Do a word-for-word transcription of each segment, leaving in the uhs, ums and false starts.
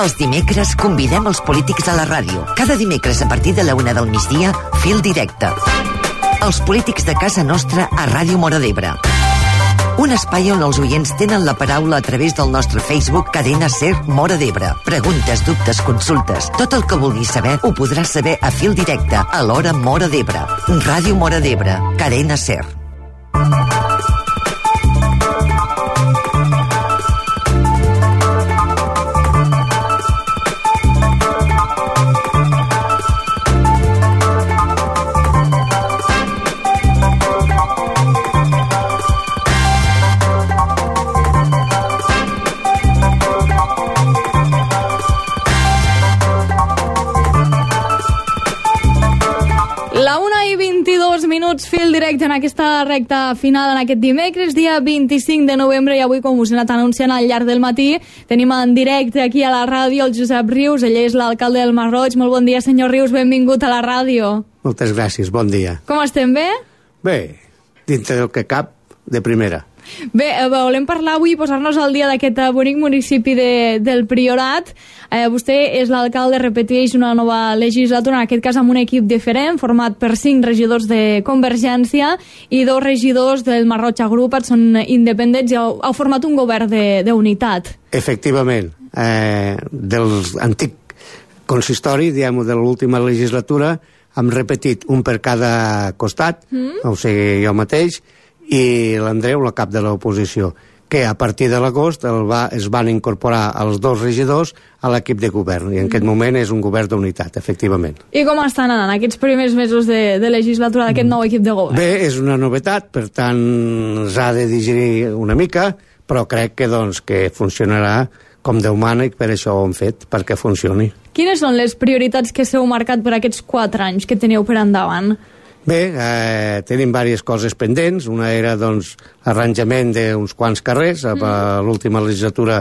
Els dimecres convidem els polítics a la ràdio. Cada dimecres a partir de la una del migdia, Fil Directe. Els polítics de casa nostra a Ràdio Móra d'Ebre. Un espai on els oients tenen la paraula a través del nostre Facebook Cadena SER Móra d'Ebre. Preguntes, dubtes, consultes. Tot el que vulguis saber ho podràs saber a Fil Directe a l'hora Móra d'Ebre. Ràdio Móra d'Ebre, Cadena SER. Minuts, Fil Directe en aquesta recta final en aquest dimecres, dia vint-i-cinc de novembre, i avui, com us he anat anunciant al llarg del matí, tenim en directe aquí a la ràdio el Josep Rius. Ell és l'alcalde del Masroig. Molt bon dia, senyor Rius, benvingut a la ràdio. Moltes gràcies, bon dia. Com estem, bé? Bé, dintre del que cap, de primera. Bé, eh, volem parlar avui, posar-nos al dia d'aquest bonic municipi de, del Priorat. Eh, vostè és l'alcalde, repeteix, una nova legislatura, en aquest cas amb un equip diferent, format per cinc regidors de Convergència i dos regidors del Masroig Agrupat, són independents i heu, heu format un govern d'unitat. Efectivament, eh, del antic consistori, diguem-ho, de l'última legislatura, hem repetit un per cada costat, mm. o sigui, jo mateix, i l'Andreu, la cap de l'oposició, que a partir de l'agost va, es van incorporar els dos regidors a l'equip de govern, i en aquest moment és un govern d'unitat, efectivament. I com estan anant aquests primers mesos de, de legislatura d'aquest nou equip de govern? Bé, és una novetat, per tant s'ha de digerir una mica, però crec que, doncs, que funcionarà com Déu mana, i per això ho hem fet, perquè funcioni. Quines són les prioritats que s'heu marcat per aquests quatre anys que teniu per endavant? Bé, eh, tenim diverses coses pendents. Una era, doncs, l'arranjament d'uns quants carrers. Mm. A l'última legislatura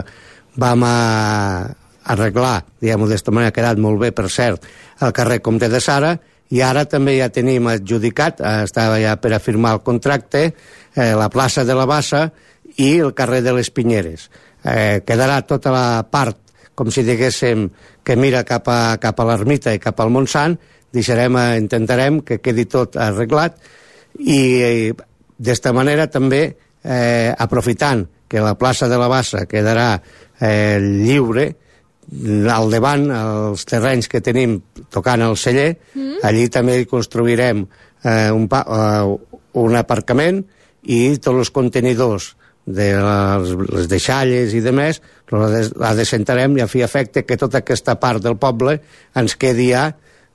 vam a arreglar, diguem-ho d'esta manera, ha quedat molt bé, per cert, el carrer Comte de Sara, i ara també ja tenim adjudicat, eh, estava ja per a firmar el contracte, eh, la plaça de la Bassa i el carrer de les Pinyeres. Eh, quedarà tota la part, com si diguéssim, que mira cap a, cap a l'Ermita i cap al Montsant. Deixarem, intentarem que quedi tot arreglat, i d'esta manera també, eh, aprofitant que la plaça de la Bassa quedarà eh, lliure, al davant, els terrenys que tenim tocant el celler, mm. allí també construirem eh, un, pa, eh, un aparcament, i tots els contenidors de les, les deixalles i demés la descentrarem, i a fi efecte que tota aquesta part del poble ens quedi ja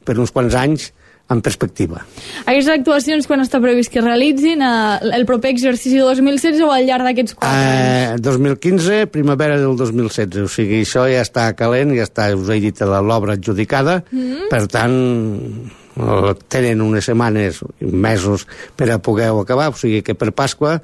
per uns quants anys en perspectiva. Aquestes actuacions quan està previst que realitzin eh, el proper exercici dos mil setze o al llarg d'aquests quatre eh, anys? dos mil quinze, primavera del dos mil setze, o sigui, això ja està calent, ja està, us he dit, l'obra adjudicada, mm. per tant tenen unes setmanes, mesos per a poder-ho acabar, o sigui que per Pasqua,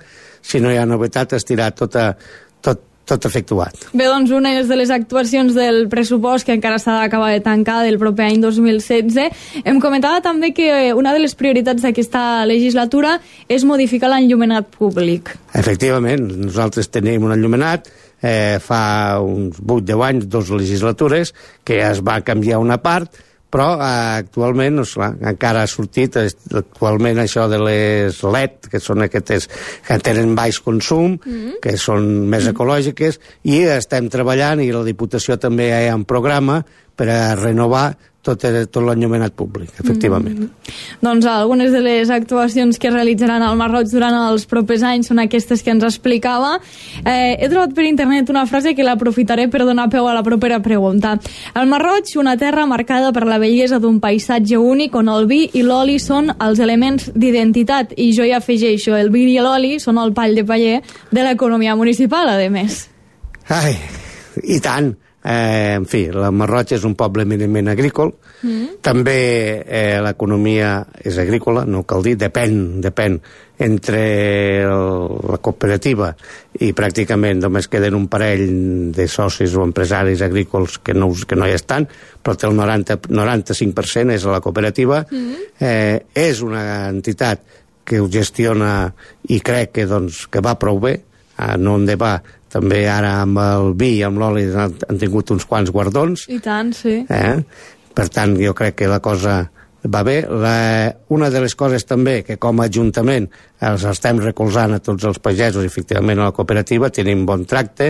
si no hi ha novetat, estirà tota, tot tot efectuat. Bé, doncs una de les actuacions del pressupost que encara s'ha d'acabar de tancar del proper any dos mil setze. Em comentava també que una de les prioritats d'aquesta legislatura és modificar l'enllumenat públic. Efectivament, nosaltres tenim un enllumenat, eh, fa uns vuit deu anys, dues legislatures, que es va canviar una part, però eh, actualment, doncs, clar, encara ha sortit actualment això de les L E D, que són aquestes que tenen baix consum, mm-hmm. que són més ecològiques, i estem treballant, i la Diputació també hi ha un programa per a renovar tot, tot l'enllumenat públic, efectivament. Mm-hmm. Doncs algunes de les actuacions que realitzaran al Masroig durant els propers anys són aquestes que ens explicava. Eh, he trobat per internet una frase que l'aprofitaré per donar peu a la propera pregunta. El Masroig, una terra marcada per la bellesa d'un paisatge únic on el vi i l'oli són els elements d'identitat, i jo hi afegeixo, el vi i l'oli són el pall de paller de l'economia municipal, a més. Ai, i tant. Eh, en fi, el Masroig és un poble eminentment agrícola, mm. també eh, l'economia és agrícola, no cal dir, depèn, depèn entre el, la cooperativa i pràcticament només queden un parell de socis o empresaris agrícoles que no, que no hi estan, però el noranta, noranta-cinc per cent és la cooperativa. Mm. eh, és una entitat que ho gestiona, i crec que, doncs, que va prou bé, eh, no en va també ara amb el vi i amb l'oli han, han tingut uns quants guardons. I tant, sí. Eh? Per tant, jo crec que la cosa va bé. La, una de les coses també que com a Ajuntament els estem recolzant a tots els pagesos, efectivament a la cooperativa, tenim bon tracte.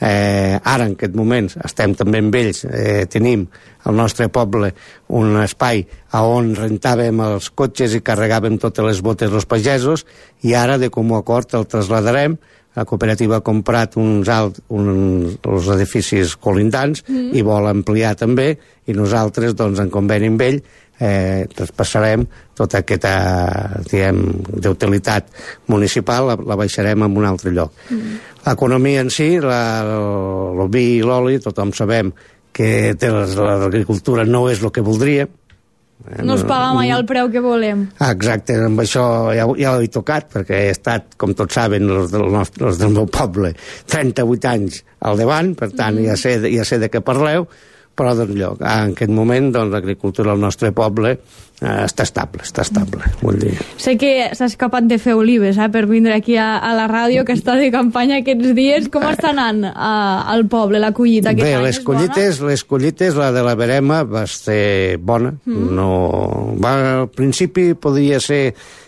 Eh, ara, en aquest moment, estem també amb ells, eh, tenim al nostre poble un espai on rentàvem els cotxes i carregàvem totes les botes dels pagesos, i ara, de comú acord, el trasladarem. La cooperativa ha comprat uns alt, uns, uns edificis colindants mm. i vol ampliar també, i nosaltres, doncs, en conveni amb ell, eh, traspassarem tota aquesta, diguem, d'utilitat municipal, la, la baixarem en un altre lloc. Mm. L'economia en si, la, el, el vi i l'oli, tothom sabem que l'agricultura no és el que voldríem. No es paga mai el preu que volem. Ah, exacte, amb això ja, ja ho he tocat, perquè he estat, com tots saben, els del, nostre, els del meu poble, trenta-vuit anys al davant, per tant, mm. ja, sé, ja sé de què parleu, però doncs, lloc, en aquest moment doncs, l'agricultura al nostre poble eh, està estable, està estable, vull dir. Sé que s'ha escapat de fer olives eh, per vindre aquí a, a la ràdio, que està de campanya aquests dies. Com està anant a, al poble la collita? Bé, les collites, les collites, la de la verema va ser bona. Mm. No, va, al principi podria ser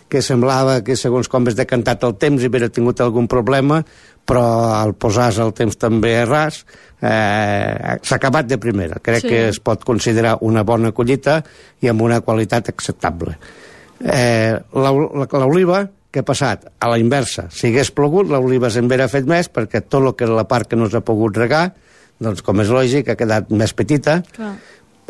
que semblava que segons com es decantat el temps i haver tingut algun problema, però al posar-se el temps també a ras, eh, s'ha acabat de primera. Crec sí. que es pot considerar una bona collita i amb una qualitat acceptable. Eh, l'oliva, què ha passat? A la inversa. Si hagués plogut, l'oliva se'n hauria fet més, perquè tot el que la part que no s'ha pogut regar, doncs, com és lògic, ha quedat més petita. Clar.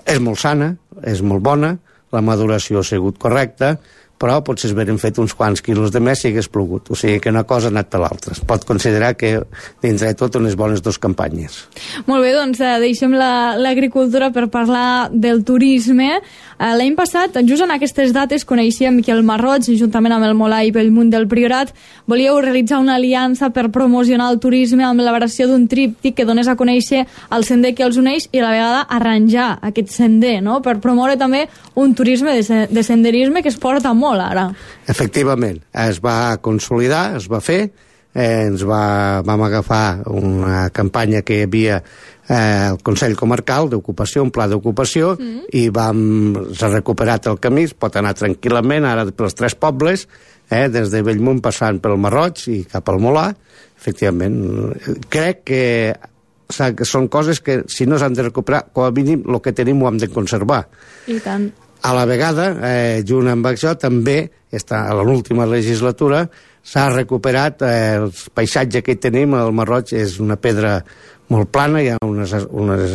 És molt sana, és molt bona, la maduració ha sigut correcta, però potser es veren fet uns quants quilos de més si hagués plogut. O sigui que una cosa ha anat a l'altra. Es pot considerar que dintre de tot unes bones dues campanyes. Molt bé, doncs eh, deixem l'agricultura la, per parlar del turisme. Eh, L'any passat, just en aquestes dates, coneixíem que el Marroig, juntament amb el Molar i Bellmunt del Priorat, volíeu realitzar una aliança per promocionar el turisme amb l'elaboració d'un tríptic que donés a conèixer el sender que els uneix i a la vegada arranjar aquest sender, no? Per promoure també un turisme de, de senderisme que es porta molt ara. Efectivament, es va consolidar, es va fer, eh, ens va, vam agafar una campanya que hi havia eh, el Consell Comarcal d'Ocupació, un pla d'ocupació, mm. i vam, s'ha recuperat el camí, es pot anar tranquil·lament ara pels tres pobles, eh, des de Bellmunt passant pel Marroig i cap al Molar. Efectivament, crec que són coses que si no s'han de recuperar, com a mínim el que tenim ho hem de conservar. I tant. A la vegada, eh, junt amb això, també, està, a l'última legislatura, s'ha recuperat eh, el paisatge que hi tenim. El Marroig és una pedra molt plana, hi ha unes, unes,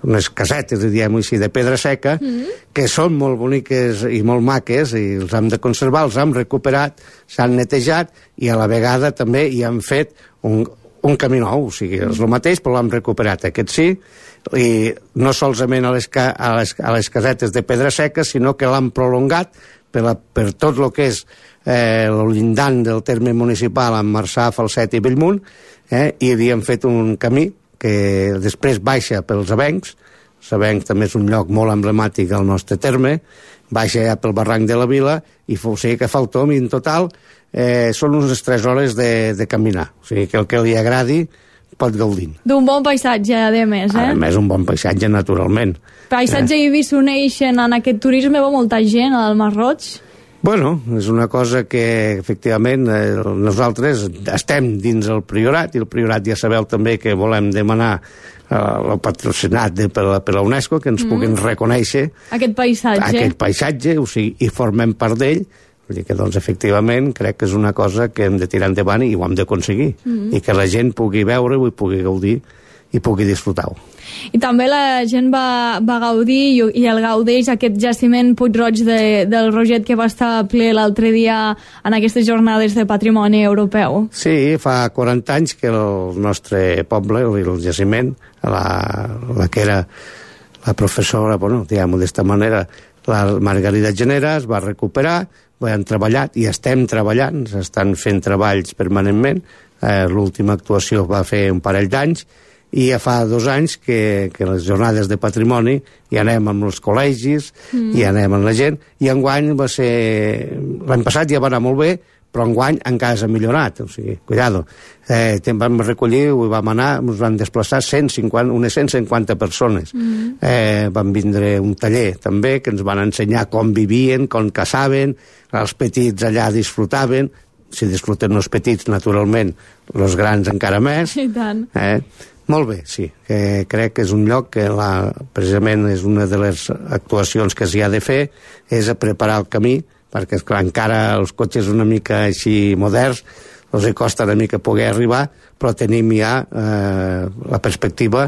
unes casetes, diguem-ho així, de pedra seca, mm-hmm. que són molt boniques i molt maques, i els hem de conservar, els hem recuperat, s'han netejat, i a la vegada també hi han fet un, un camí nou, o sigui, és el mateix, però l'hem recuperat, aquest sí, i no solament a les, a les, a les casetes de pedra seca, sinó que l'han prolongat per, la, per tot el que és eh, el llindant del terme municipal amb Marçà, Falset i Bellmunt, eh, i hi han fet un camí que després baixa pels Avencs. Avencs també és un lloc molt emblemàtic del nostre terme, baixa ja pel barranc de la Vila, i o sigui que fa el tom, i en total eh, són unes tres hores de, de caminar, o sigui que el que li agradi pot gaudir. D'un bon paisatge, a més, eh? A més, un bon paisatge, naturalment. Paisatge eh? i vi s'uneixen en aquest turisme, va molta gent al Marroig? Bueno, és una cosa que, efectivament, eh, nosaltres estem dins el Priorat, i el Priorat ja sabeu també que volem demanar eh, el patrocinat de, per, la, per la UNESCO, que ens mm. puguin reconèixer aquest paisatge. Aquest paisatge, o sigui, i formem part d'ell. Vull dir que, doncs, efectivament, crec que és una cosa que hem de tirar endavant i ho hem d'aconseguir. Mm-hmm. I que la gent pugui veure-ho i pugui gaudir i pugui disfrutar-ho. I també la gent va, va gaudir i, i el gaudeix aquest jaciment Puig-roig de, del Roget que va estar ple l'altre dia en aquestes jornades de patrimoni europeu. Sí, fa quaranta anys que el nostre poble, el jaciment, la, la que era la professora, bueno, diguem-ho d'esta manera, la Margarida Genera, es va recuperar, ho hem treballat i estem treballant, s'estan fent treballs permanentment. Eh, l'última actuació va fer un parell d'anys, i ja fa dos anys que, que les jornades de patrimoni hi anem amb els col·legis, mm. hi anem amb la gent, i enguany va ser... L'any passat ja va anar molt bé, però enguany encara s'ha millorat, o sigui, cuidado. Eh, vam recollir, vam anar, ens van desplaçar cent cinquanta, unes cent cinquanta persones. Mm. Eh, van vindre un taller també, que ens van ensenyar com vivien, com caçaven, els petits allà disfrutaven, si disfruten els petits, naturalment, els grans encara més. I tant. Eh? Molt bé, sí. Eh, crec que és un lloc que la, precisament és una de les actuacions que s'hi ha de fer, és a preparar el camí, perquè esclar, encara els cotxes una mica així moderns els costa una mica poder arribar, però tenim ja eh, la perspectiva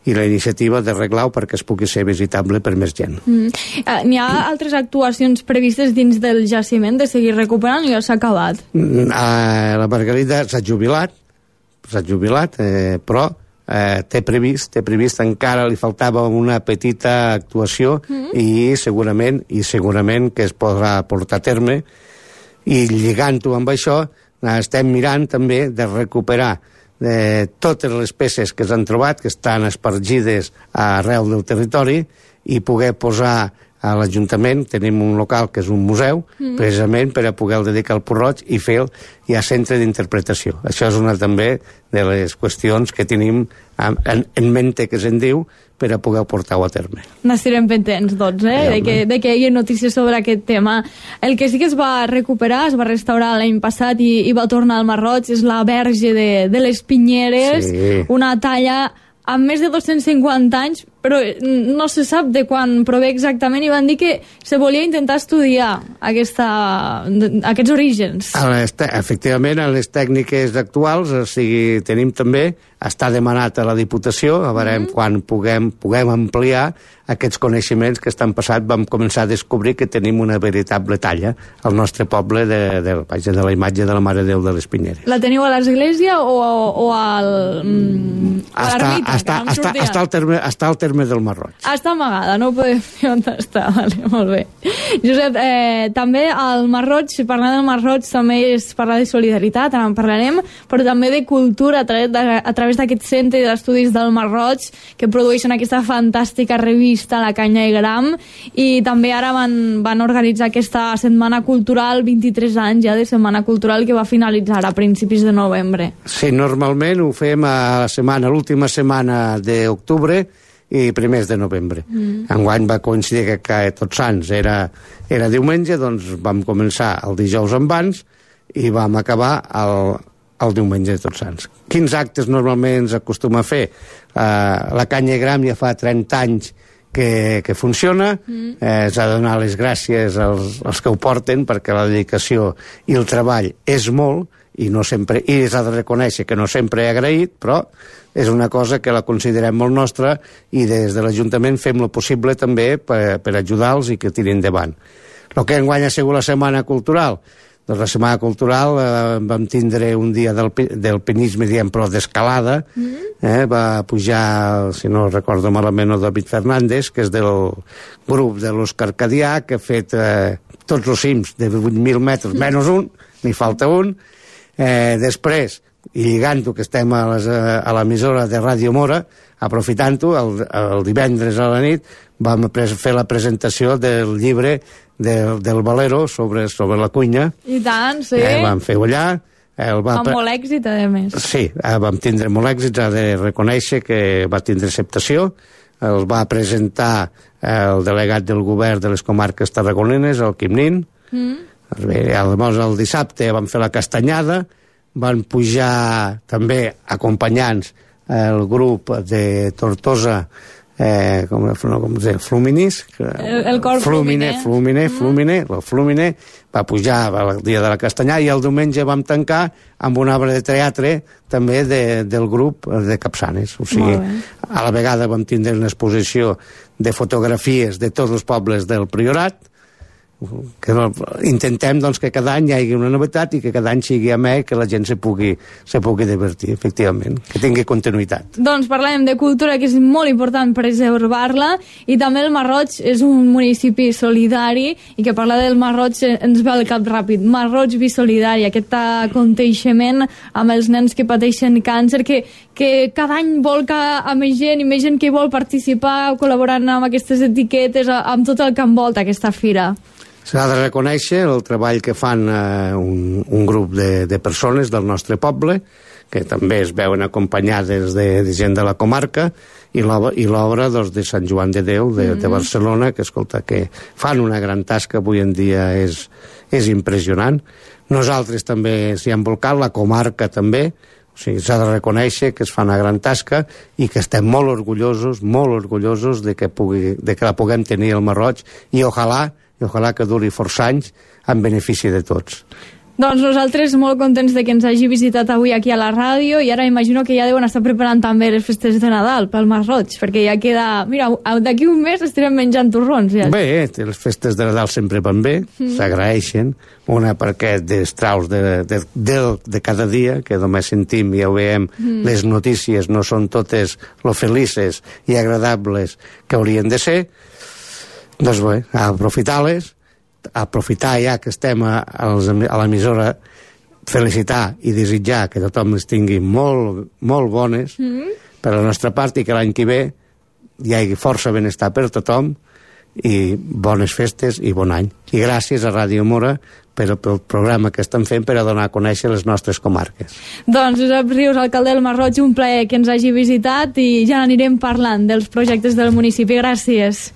i la iniciativa d'arreglar-ho perquè es pugui ser visitable per més gent. Mm. Uh, N'hi ha altres actuacions previstes dins del jaciment de seguir recuperant o ja s'ha acabat? Mm, uh, la Margarida s'ha jubilat, s'ha jubilat, eh, però eh, té previst, té previst, encara li faltava una petita actuació mm. i segurament i segurament que es podrà portar a terme, i lligant-ho amb això estem mirant també de recuperar eh, totes les peces que s'han trobat, que estan espargides arreu del territori, i poder posar a l'Ajuntament, tenim un local que és un museu, mm. precisament per a poder dedicar al Puig-roig i fer el ja centre d'interpretació. Això és una també de les qüestions que tenim en, en, en mente, que se'n diu, per a poder portar-ho a terme. N'estirem pendents, doncs, eh? de, que, de que hi ha notícies sobre aquest tema. El que sí que es va recuperar, es va restaurar l'any passat i, i va tornar al Mar-roig, és la Verge de, de les Pinyeres, sí. Una talla amb més de dos-cents cinquanta anys, però no se sap de quan prové exactament, i van dir que se volia intentar estudiar aquesta, aquests orígens. Efectivament, en les tècniques actuals, o sigui, tenim també, està demanat a la Diputació, a veure mm. quan puguem, puguem ampliar aquests coneixements que estan passat. Vam començar a descobrir que tenim una veritable talla al nostre poble de, de, de, de la imatge de la Mare de Déu de les Pinyeres. La teniu a l'església o, o al... Mm, a l'ermita? Està, està, està, al terme, està al terme del Mar-roig. Està amagada, no ho podem dir on està. Vale, molt bé. Josep, eh, també al Mar-roig, parlant del Mar-roig, també es parla de solidaritat, ara en parlarem, però també de cultura a través, de, a través d'aquest centre d'estudis del Mar-roig, que produeixen aquesta fantàstica revista La Canya i Gram, i també ara van, van organitzar aquesta setmana cultural, vint-i-tres anys ja de setmana cultural, que va finalitzar a principis de novembre. Sí, normalment ho fem a la setmana, l'última setmana d'octubre i primers de novembre. Mm. Enguany va coincidir que, que Tots Sants era, era diumenge, doncs vam començar el dijous amb Vans i vam acabar el, el diumenge de Tots Sants. Quins actes normalment s'acostuma a fer? Uh, la Canya i Gram ja fa trenta anys que, que funciona, mm. eh, s'ha de donar les gràcies als, als que ho porten, perquè la dedicació i el treball és molt, i no sempre, i s'ha de reconèixer que no sempre he agraït, però és una cosa que la considerem molt nostra, i des de l'Ajuntament fem el possible també per, per ajudar-los i que tirin endavant. El que enguany ha sigut la Setmana Cultural, doncs la Setmana Cultural eh, vam tindre un dia del, del pinisme, diem, però d'escalada, mm. eh, va pujar, si no recordo malament, el David Fernández, que és del grup de l'Òscar Cadià, que ha fet eh, tots els cims de vuit mil metres, menys un, n'hi falta un. Eh, després, i lligant-ho, que estem a, les, a l'emissora de Ràdio Mora, aprofitant-ho, el, el divendres a la nit vam fer la presentació del llibre del, del Valero sobre, sobre la cuina. I tant, sí. Eh, vam fer allà. El va amb molt èxit, a més. Sí, eh, vam tindre molt èxit, ha de reconèixer que va tindre acceptació. El va presentar el delegat del govern de les comarques tarragonines, el Quim Nin. Mm. Llavors el dissabte van fer la castanyada, van pujar també acompanyants el grup de Tortosa, eh, com, com es diu, Fluminis, el, el cor Flumine, Flumine, Flumine, mm. el Flumine va pujar el dia de la castanyada, i el diumenge vam tancar amb una obra de teatre també de, del grup de Capçanes. O sigui, a la vegada vam tindre una exposició de fotografies de tots els pobles del Priorat, que intentem doncs, que cada any hi hagi una novetat i que cada any sigui amè, que la gent se pugui, se pugui divertir, efectivament, que tingui continuïtat. Doncs parlem de cultura, que és molt important preservar-la, i també el Mar-roig és un municipi solidari, i que parlar del Mar-roig ens ve al cap ràpid. Mar-roig Bisolidari, aquest aconteixement amb els nens que pateixen càncer, que, que cada any volca a més gent i més gent que vol participar col·laborant amb aquestes etiquetes, amb tot el que envolta aquesta fira. S'ha de reconèixer el treball que fan eh, un, un grup de, de persones del nostre poble, que també es veuen acompanyades de, de gent de la comarca, i l'obra doncs, de Sant Joan de Déu de, mm-hmm. de Barcelona, que escolta, que fan una gran tasca, avui en dia és, és impressionant. Nosaltres també s'hi hem volcat, la comarca també, o sigui, s'ha de reconèixer que es fa una gran tasca i que estem molt orgullosos, molt orgullosos de que, pugui, de que la puguem tenir al Masroig, i ojalà, i ojalà que duri força anys en benefici de tots. Doncs nosaltres molt contents de que ens hagi visitat avui aquí a la ràdio, i ara imagino que ja deuen estar preparant també les festes de Nadal pel Masroig, perquè ja queda... Mira, d'aquí un mes estarem menjant torrons. Ja. Bé, les festes de Nadal sempre van bé, mm. s'agraeixen, una perquè d'estraus de, de, de, de cada dia, que només sentim i ja ho veiem, mm. les notícies no són totes lo felices i agradables que haurien de ser, doncs bé, aprofitar-les, aprofitar ja que estem a, a l'emissora, felicitar i desitjar que tothom les tingui molt, molt bones mm. per la nostra part, i que l'any que ve hi hagi força benestar per tothom i bones festes i bon any. I gràcies a Ràdio Mora per el programa que estan fent per a donar a conèixer les nostres comarques. Doncs Josep Rius, alcalde del Masroig, un plaer que ens hagi visitat, i ja anirem parlant dels projectes del municipi. Gràcies.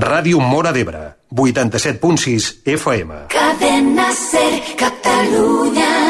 Ràdio Mora d'Ebre, vuitanta-set punt sis F M. Cadena Ser, Catalunya.